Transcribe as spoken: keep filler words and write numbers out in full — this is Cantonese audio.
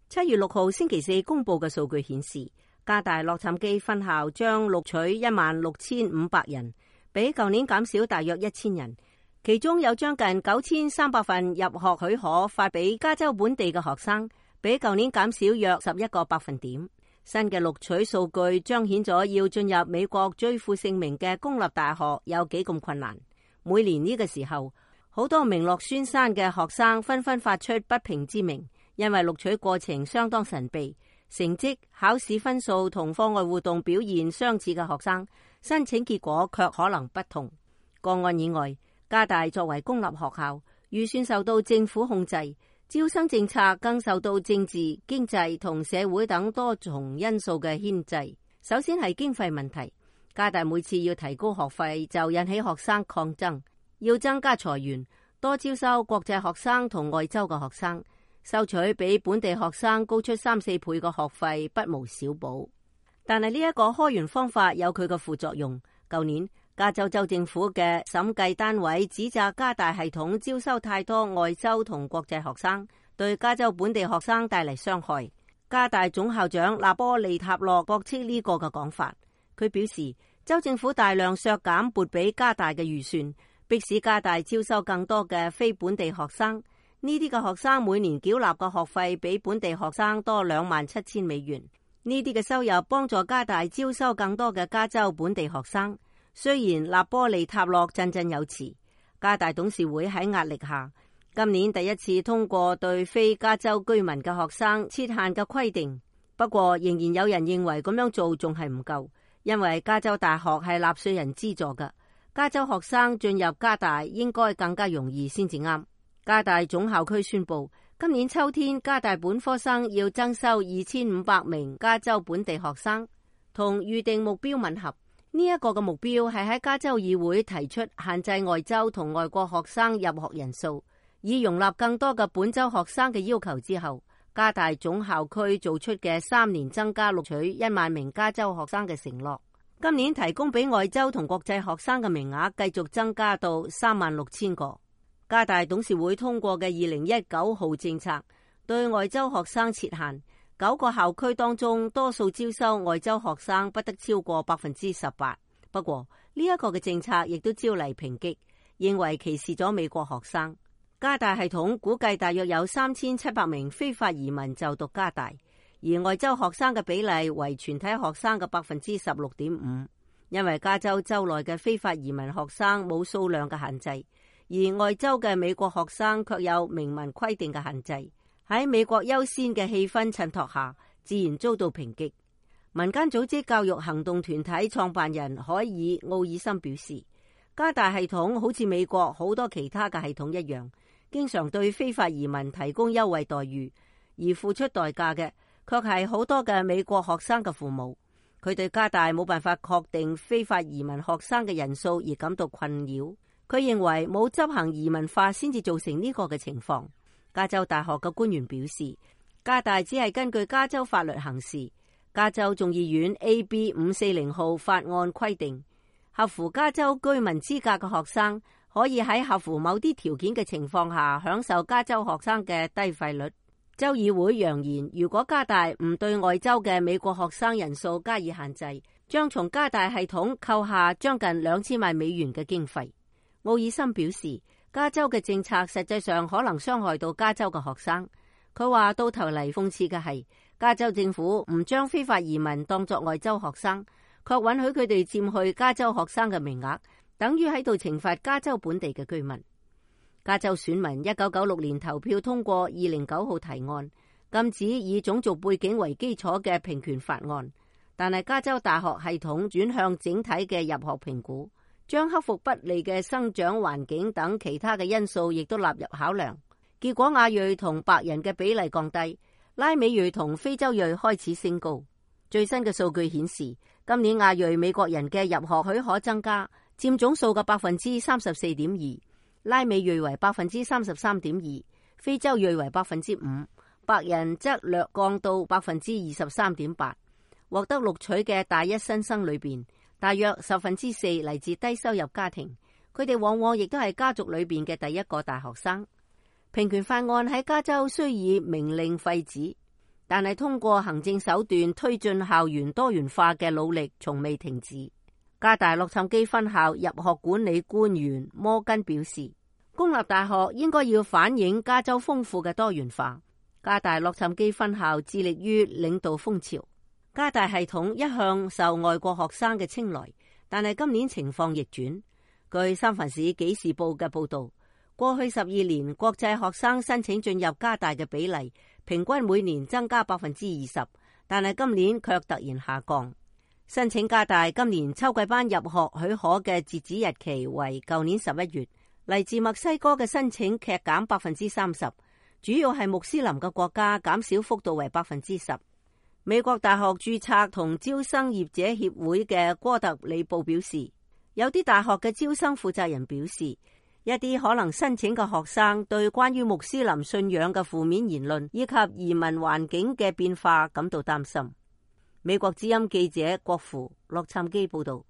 七月六號星期四公布嘅數據顯示，加大洛杉磯分校將錄取一萬六千五百人，比舊年減少大約一千人。其中有將近九千三百份入學許可發俾加州本地嘅學生，比舊年減少約十一個百分點。新嘅錄取數據彰顯咗要進入美國最負盛名嘅公立大學有幾咁困難。每年呢個時候，好多名落孫山嘅學生紛紛發出不平之鳴，因為錄取過程相當神秘，成績、考試分數同課外活動表現相似嘅學生，申請結果卻可能不同。個案以外，加大作為公立學校，預算受到政府控制，招生政策更受到政治、經濟同社會等多重因素嘅牽制。首先係經費問題，加大每次要提高學費就引起學生抗爭，要增加財源，多招收國際學生同外州嘅學生，收取比本地學生高出三四倍嘅學費不無小補。但係呢一個開源方法有佢嘅副作用。舊年加州州政府嘅審計單位指責加大系統招收太多外州同國際學生，對加州本地學生帶嚟傷害。加大總校長納波利塔洛駁斥呢個嘅講法，佢表示州政府大量削減撥俾加大嘅預算，迫使加大招收更多嘅非本地學生。呢啲嘅學生每年繳納嘅學費比本地學生多兩萬七千美元。呢啲嘅收入幫助加大招收更多嘅加州本地學生。雖然納波利塔洛振振有詞，加大董事會喺壓力下，今年第一次通過對非加州居民嘅學生設限嘅規定。不過仍然有人認為咁樣做仲係唔夠，因為加州大學係納稅人資助嘅，加州學生進入加大應該更加容易先至啱。加大總校區宣布，今年秋天加大本科生要增收二千五百名加州本地學生，同預定目標吻合。呢一個嘅目標係喺加州議會提出限制外州同外國學生入學人數，以容納更多嘅本州學生嘅要求之後，加大總校區做出嘅三年增加錄取一萬名加州學生嘅承諾。今年提供俾外州同國際學生嘅名額繼續增加到三萬六千個。加大董事會通過嘅二零一九號政策對外州學生設限。九個校區當中，多數招收外州學生不得超過百分之十八。不過呢一個嘅政策亦都招嚟抨擊，認為歧視咗美國學生。加大系統估計大約有三千七百名非法移民就讀加大，而外州學生嘅比例為全體學生嘅百分之十六點五。因為加州州內嘅非法移民學生冇數量嘅限制，而外州嘅美國學生卻有明文規定嘅限制。喺美國優先嘅氣氛襯托下，自然遭到抨擊。民間組織教育行動團體創辦人海爾奧爾森表示，加大系統好似美國好多其他嘅系統一樣，經常對非法移民提供優惠待遇，而付出代價嘅卻係好多嘅美國學生嘅父母。佢對加大冇辦法確定非法移民學生嘅人數而感到困擾。佢認為冇執行移民法先至造成呢個嘅情況。加州大學嘅官員表示，加大只係根據加州法律行事。加州眾議院 A B 五四零號法案規定，合乎加州居民資格嘅學生可以喺合乎某啲條件嘅情況下享受加州學生嘅低費率。州議會揚言，如果加大唔對外州嘅美國學生人數加以限制，將從加大系統扣下將近兩千萬美元嘅經費。奧爾森表示，加州嘅政策實際上可能傷害到加州嘅學生。佢話到頭嚟諷刺嘅係，加州政府唔將非法移民當作外州學生，卻允許佢哋佔去加州學生嘅名額，等於喺度懲罰加州本地嘅居民。加州選民一九九六年投票通過二零九號提案，禁止以種族背景為基礎嘅平權法案，但係加州大學系統轉向整體嘅入學評估，將克服不利嘅生長環境等其他嘅因素亦都納入考量。結果亞裔同白人嘅比例降低，拉美裔同非洲裔開始升高。最新嘅數據顯示，今年亞裔美國人嘅入學許可增加，佔總數嘅百分之三十四點二，拉美裔為百分之三十三點二，非洲裔為百分之五，白人則略降到百分之二十三點八。獲得錄取嘅大一新生裏邊，大約十分之四嚟自低收入家庭，佢哋往往亦都係家族裏邊嘅第一個大學生。平權法案喺加州雖以明令廢止，但係通過行政手段推進校園多元化嘅努力從未停止。加大洛杉磯分校入學管理官員摩根表示，公立大學應該要反映加州豐富嘅多元化。加大洛杉磯分校致力於領導風潮。加大系統一向受外國學生嘅青睞，但係今年情況逆轉。據三藩市紀事報嘅報道，過去十二年國際學生申請進入加大嘅比例平均每年增加百分之二十，但係今年卻突然下降。申請加大今年秋季班入學許可嘅截止日期為舊年十一月。嚟自墨西哥嘅申請劇減百分之三十，主要係穆斯林嘅國家減少幅度為百分之十。美國大學註冊同招生業者協會嘅哥特里布表示，有啲大學嘅招生負責人表示，一啲可能申請嘅學生對關於穆斯林信仰嘅負面言論以及移民環境嘅變化感到擔心。美國之音記者郭芙洛杉磯報道。